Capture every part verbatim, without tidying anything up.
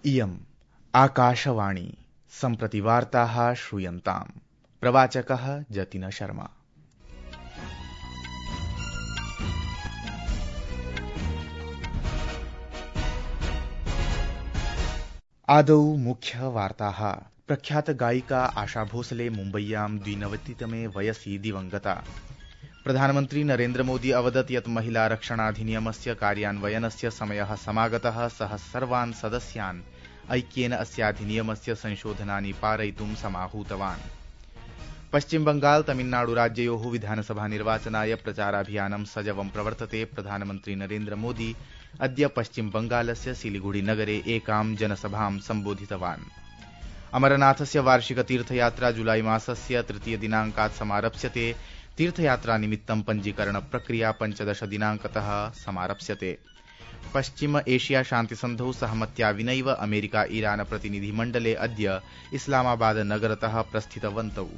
इयम् आकाशवाणी सम्प्रति वार्ताः श्रूयन्ताम्। प्रवाचकः जतिन शर्मा। आदौ मुख्य वार्ताः। प्रख्यात गायिका आशा भोसले मुम्बय्यां द्विनवतितमे वयसि दिवंगता। प्रधानमन्त्री नरेन्द्र मोदी अवदत् यत् महिलारक्षणाधिनियमस्य कार्यान्वयनस्य समयः समागतः। सः सर्वान् सदस्यान् ऐक्येन अस्याधिनियमस्य संशोधनानि पारयितुं समाहूतवान्। पश्चिम बंगाल तमिलनाडु राज्ययोः विधानसभा निर्वाचनाय प्रचाराभियानं सजवं प्रवर्तते। प्रधानमन्त्री नरेन्द्र मोदी अद्य पश्चिम बंगालस्य सिलीगुड़ी नगरे एकां जनसभां सम्बोधितवान्। अमरनाथस्य वार्षिक तीर्थयात्रा जुलाई मासस्य तृतीय दिनाङ्कात् समारप्स्यते। तीर्थयात्रा निमित्तं पञ्जीकरण प्रक्रिया पञ्चदश दिनाङ्कतः समारप्स्यते। पश्चिम एशिया शान्तिसन्धौ सहमत्या विनैव अमेरिका ईरान प्रतिनिधिमण्डले अद्य इस्लामाबाद नगरतः प्रस्थितवन्तौ।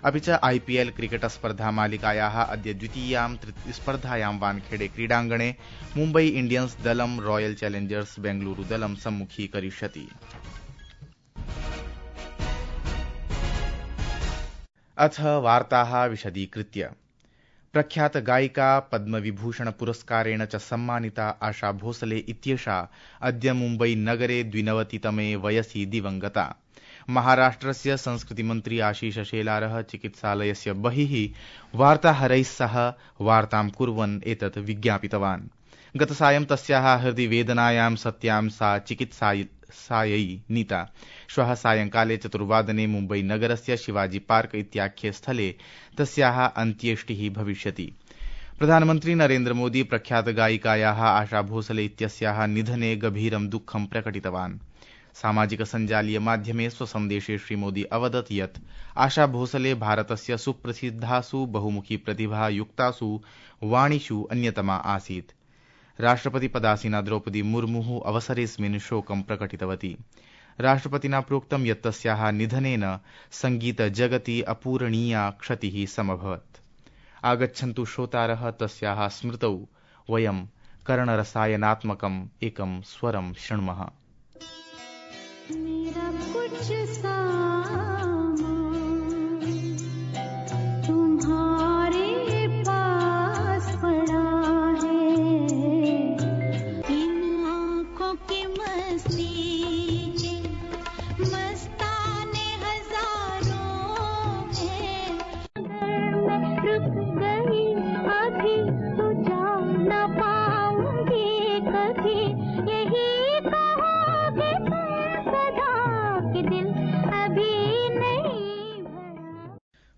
अपि च आईपीएल क्रिकेट स्पर्धा मालिकायाः अद्य द्वितीयां स्पर्धायां वानखेडे क्रीडाङ्गणे मुम्बई इण्डियन्स् दलं रॉयल चैलेंजर्स बेंगलुरू दलं सम्मुखीकरिष्यति। अथ वार्ताः विशदीकृत्य। प्रख्यात गायिका पद्मविभूषण पुरस्कारेण च सम्मानिता आशा भोसले इत्येषा अद्य मुम्बई नगरे द्विनवतितमे वयसि दिवंगता। महाराष्ट्रस्य संस्कृतिमन्त्री आशीष शेलारः चिकित्सालयस्य बहिः वार्ताहरैः सह वार्तां कुर्वन् एतत् विज्ञापितवान्। गतसायं तस्याः हृदि वेदनायां सत्यां सा चिकित्सायै नीता। श्वः सायंकाले चतुर्वादने मुम्बई नगरस्य शिवाजी पार्क इत्याख्ये स्थले तस्याः अन्त्येष्टिः भविष्यति। प्रधानमन्त्री नरेन्द्र मोदी प्रख्यात गायिकायाः आशा भोसले इत्यस्याः निधने गभीरं दुःखं प्रकटितवान्। सामाजिक सञ्जालीय माध्यमे स्वसन्देशे श्रीमोदी अवदत् यत् आशा भोसले भारतस्य सुप्रसिद्धासु बहुमुखी प्रतिभा युक्तासु वाणिषु अन्यतमा आसीत्। राष्ट्रपति पदासीना द्रौपदी मुर्मुः अवसरेऽस्मिन् शोकं प्रकटितवती। राष्ट्रपतिना प्रोक्तं यत् तस्याः निधनेन संगीत जगति अपूरणीया क्षतिः समभवत्। आगच्छन्तु श्रोतारः तस्याः स्मृतौ वयं कर्णरसायनात्मकम् एकं स्वरं शृण्मः।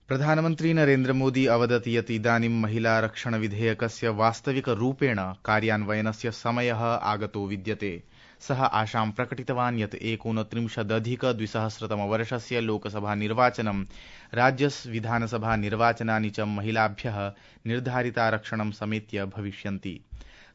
प्रधानमन्त्री नरेन्द्र मोदी अवदत् यत् इदानीं महिलारक्षण विधेयकस्य वास्तविक रूपेण कार्यान्वयनस्य समयः आगतो विद्यते। सः आशां प्रकटितवान् यत् एकोनत्रिंशदधिक द्विसहस्रतमवर्षस्य लोकसभा निर्वाचनं राज्य विधानसभा निर्वाचनानि च महिलाभ्यः निर्धारितारक्षणं समेत्य भविष्यन्ति।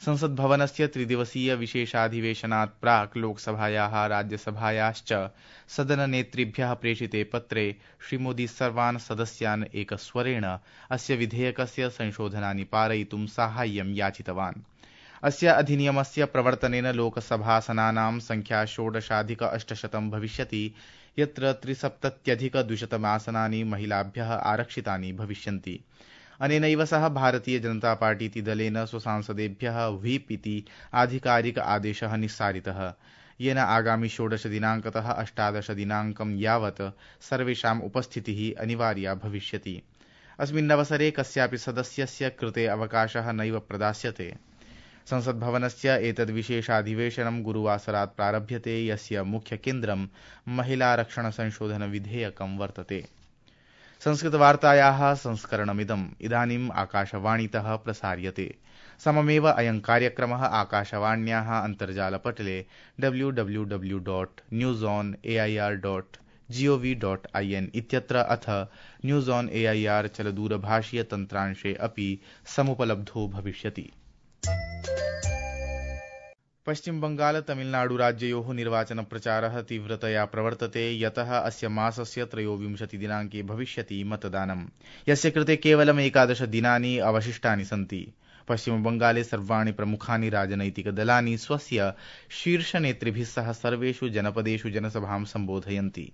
संसद् भवनस्य त्रिदिवसीय विशेषाधिवेशनात् प्राक् लोकसभायाः राज्यसभायाश्च सदननेतृभ्यः प्रेषिते पत्रे श्रीमोदी सर्वान् सदस्यान् एकस्वरेण अस्य विधेयकस्य संशोधनानि पारयितुं साहाय्यं याचितवान्। अस्य अधिनियमस्य प्रवर्तनेन लोकसभासनानां संख्या षोडशाधिक अष्टशतं भविष्यति, यत्र त्रिसप्तत्यधिक द्विशतम् आसनानि महिलाभ्यः आरक्षितानि भविष्यन्ति। अनेनैव सह भारतीय जनता पार्टीति दलेन स्वसांसदेभ्यः व्हीप् इति आधिकारिक आदेशः निस्सारितः, येन आगामि षोडश दिनाङ्कतः अष्टादश दिनाङ्कं यावत् सर्वेषाम् उपस्थितिः अनिवार्या भविष्यति। अस्मिन्नवसरे कस्यापि सदस्यस्य कृते अवकाशः नैव प्रदास्यते। संसद्भवनस्य एतद्विशेषाधिवेशनं गुरुवासरात् प्रारभ्यते, यस्य मुख्यकेन्द्रं महिलारक्षणसंशोधनविधेयकं वर्तते। संस्कृतवार्तायाः संस्करणमिदम् इदानीम् आकाशवाणीतः प्रसार्यते। सममेव अयं कार्यक्रमः आकाशवाण्याः अन्तर्जालपटले W W W dot news on A I R dot G O V dot I N इत्यत्र अथ news on A I R चलदूरभाषीय तन्त्रांशे अपि समुपलब्धो भविष्यति। पश्चिम बंगाल तमिलनाडु राज्ययोः निर्वाचन प्रचारः तीव्रतया प्रवर्तते, यतः अस्य मासस्य त्रयोविंशति दिनाङ्के भविष्यति मतदानं, यस्य कृते केवलम् एकादश दिनानि अवशिष्टानि सन्ति। पश्चिमबंगाले सर्वाणि प्रमुखानि राजनैतिकदलानि स्वस्य शीर्षनेतृभिः सह सर्वेषु जनपदेषु जनसभां सम्बोधयन्ति।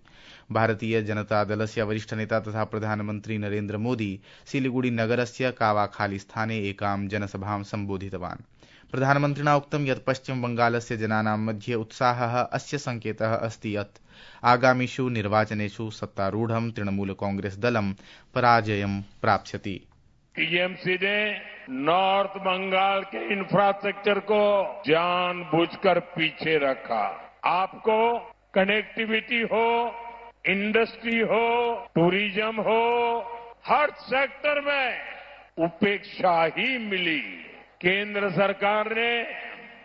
भारतीय जनतादलस्य वरिष्ठनेता तथा प्रधानमन्त्री नरेन्द्र मोदी सिलीगुड़ी नगरस्य कावाखाली स्थाने एकां जनसभां सम्बोधितवान्। प्रधानमन्त्रिणा उक्तं यत् पश्चिमबंगालस्य जनानां मध्ये उत्साहः अस्य संकेतः अस्ति यत् आगामिषु निर्वाचनेषु सत्तारूढं तृणमूल कांग्रेस दलं पराजयं प्राप्स्यति। टीएमसी ने नॉर्थ बंगाल के इंफ्रास्ट्रक्चर को जानबूझकर पीछे रखा। आपको कनेक्टिविटी हो, इंडस्ट्री हो, टूरिज्म हो, हर सेक्टर में उपेक्षा ही मिली। केंद्र सरकार ने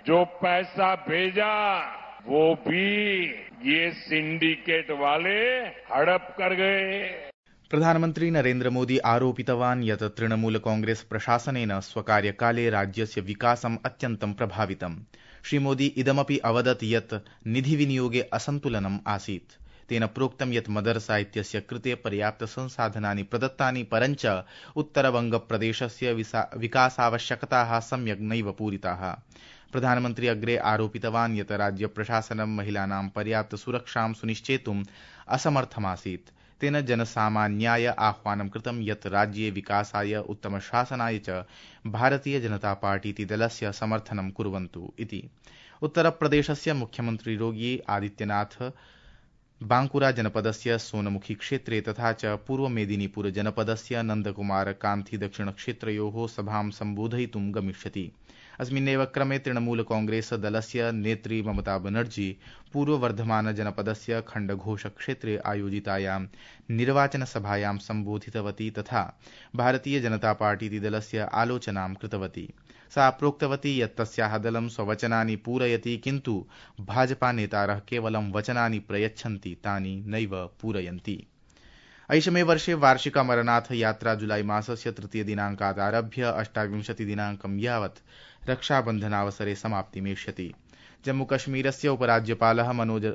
जो पैसा भेजा वो भी ये सिंडिकेट वाले हड़प कर गए। प्रधानमन्त्री नरेन्द्र मोदी आरोपितवान् यत् तृणमूल कांग्रेस प्रशासनेन स्वकार्यकाले राज्यस्य विकासम् अत्यन्तं प्रभावितम्। श्रीमोदी इदमपि अवदत् यत् निधिविनियोगे असन्तुलनम् आसीत्। तेन प्रोक्तं यत् मदरसा इत्यस्य कृते पर्याप्तसंसाधनानि प्रदत्तानि, परञ्च उत्तरबंगप्रदेशस्य विकासावश्यकताः सम्यक् नैव पूरिताः। प्रधानमन्त्री अग्रे आरोपितवान् यत् राज्यप्रशासनं महिलानां पर्याप्तसुरक्षां सुनिश्चेतुम् असमर्थमासीत्। तेन जनसामान्याय आह्वानं कृतं यत् राज्ये विकासाय, उत्तमशासनाय च भारतीय जनता पार्टीति दलस्य समर्थनं कुर्वन्तु इति। उत्तरप्रदेशस्य मुख्यमन्त्री योगी आदित्यनाथ बांकुरा जनपदस्य सोनमुखी क्षेत्रे तथा च पूर्व मेदिनीपुर जनपदस्य नन्दकुमार कान्थी दक्षिणक्षेत्रयोः सभां सम्बोधयितुं गमिष्यति। अस्मिन्नेव क्रमे तृणमूल कांग्रेस दलस्य नेत्री ममता बनर्जी पूर्ववर्धमान जनपदस्य खण्डघोष क्षेत्रे आयोजितायां निर्वाचनसभायां सम्बोधितवती तथा भारतीय जनता पार्टी दलस्य आलोचनां कृतवती। सा प्रोक्तवती यत् तस्याः दलं स्ववचनानि पूरयति, किन्तु भाजपा नेतारः केवलं वचनानि प्रयच्छन्ति, तानि नैव पूरयन्ति। ऐषमे वर्षे वार्षिक अमरनाथ यात्रा जुलाई मासस्य तृतीय दिनाङ्कात् आरभ्य अष्टाविंशति दिनाङ्कं यावत् रक्षाबन्धनावसरे समाप्तिमेष्यति। जम्मूकश्मीरस्य उपराज्यपालः मनोज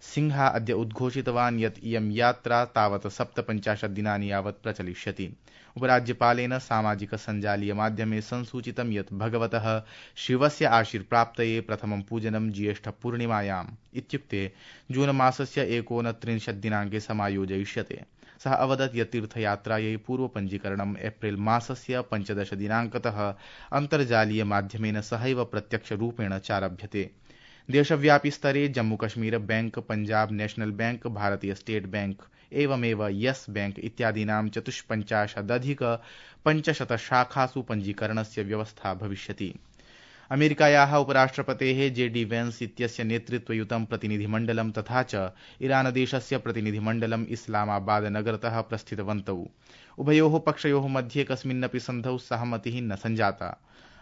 सिंह अद्य उद्घोषितवान् यत् इयं यात्रा तावत् सप्तपञ्चाशत् दिनानि यावत् प्रचलिष्यति। उपराज्यपालेन सामाजिक सञ्जालीय माध्यमे संसूचितं यत् भगवतः शिवस्य आशीर्प्राप्तये प्रथमं पूजनं ज्येष्ठपूर्णिमायाम् इत्युक्ते जून मासस्य एकोनत्रिंशत् दिनाङ्के समायोजयिष्यते। सः अवदत् यत् तीर्थयात्रायै पूर्वपञ्जीकरणम् एप्रिल मासस्य पञ्चदश दिनाङ्कतः अन्तर्जालीय माध्यमेन सहैव प्रत्यक्षरूपेण चारभ्यते। देशव्यापी स्तरे Jammu Kashmir bank, Punjab national bank, भारतीय स्टेट बैंक एवमेव यस बैंक इत्यादीनां चतुष्पञ्चाशदधिक पञ्चशत शाखासु पञ्जीकरणस्य व्यवस्था भविष्यति। अमेरिकायाः उपराष्ट्रपतेः जे डी वेन्स इत्यस्य नेतृत्वयुतं प्रतिनिधिमण्डलं तथा च ईरानदेशस्य प्रतिनिधिमण्डलम् इस्लामाबाद नगरतः प्रस्थितवन्तौ। उभयोः पक्षयोः मध्ये कस्मिन्नपि सन्धौ सहमतिः न सञ्जाता।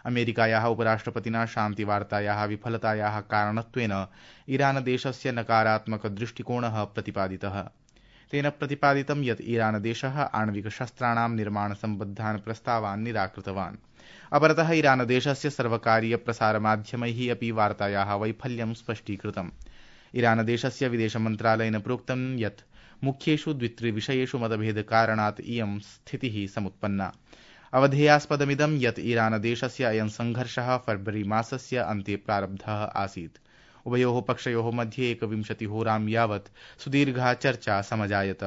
अमेरिकायाः उपराष्ट्रपतिना शान्तिवार्तायाः विफलतायाः कारणत्वेन ईरानदेशस्य नकारात्मकदृष्टिकोणः प्रतिपादितः। तेन प्रतिपादितं यत् ईरानदेशः आणविकशस्त्राणां निर्माणसम्बद्धान् प्रस्तावान् निराकृतवान्। अपरतः ईरानदेशस्य सर्वकारीयप्रसारमाध्यमैः अपि वार्तायाः वैफल्यं स्पष्टीकृतम्। ईरानदेशस्य विदेशमन्त्रालयेन प्रोक्तं यत् मुख्येषु द्वित्रिविषयेषु मतभेदकारणात् इयं स्थितिः समुत्पन्ना। अवधेयास्पदमिदं यत् ईरानदेशस्य अयं सङ्घर्षः फरवरी मासस्य अन्ते प्रारब्धः आसीत्। उभयोः पक्षयोः मध्ये एकविंशतिहोरां यावत् सुदीर्घा चर्चा समजायत।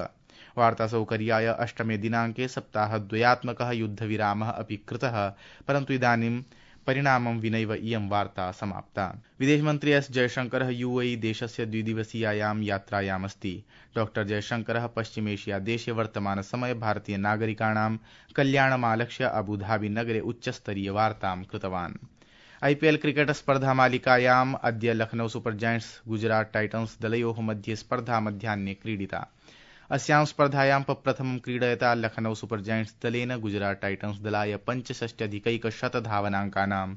वार्तासौकर्याय अष्टमे दिनाङ्के सप्ताहद्वयात्मकः युद्धविरामः अपि कृतः, परन्तु इदानीं परिणामं विनैव इयं वार्ता समाप्ता। विदेशमन्त्री एस जयशंकरः यूएई देशस्य द्विदिवसीयायां यात्रायामस्ति। डॉक्टर जयशंकरः पश्चिमेशिया देशे वर्तमानसमये भारतीय नागरिकाणां कल्याणमालक्ष्य अबुधाबी नगरे उच्चस्तरीय वार्तां कृतवान्। आईपीएल क्रिकेट स्पर्धामालिकायाम् अद्य Lucknow super giants Gujarat titans दलयोः मध्ये स्पर्धा मध्याह्ने क्रीडिता। अस्यां स्पर्धायां प्रथमं क्रीडयता लखनऊ सुपर जायंट्स दलेन गुजरात टाइटन्स दलाय पञ्चषष्ट्यधिकैकशत धावनाङ्कानां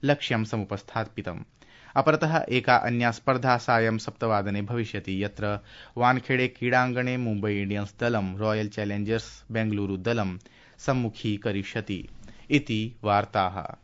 लक्ष्यं समुपस्थापितम्। अपरतः एका अन्या स्पर्धा सायं सप्तवादने भविष्यति, यत्र वानखेड़े क्रीडाङ्गणे मुम्बई इंडियन्स दलं रॉयल चैलेंजर्स बेंगलुरु दलं सम्मुखीकरिष्यति। इति वार्ताः।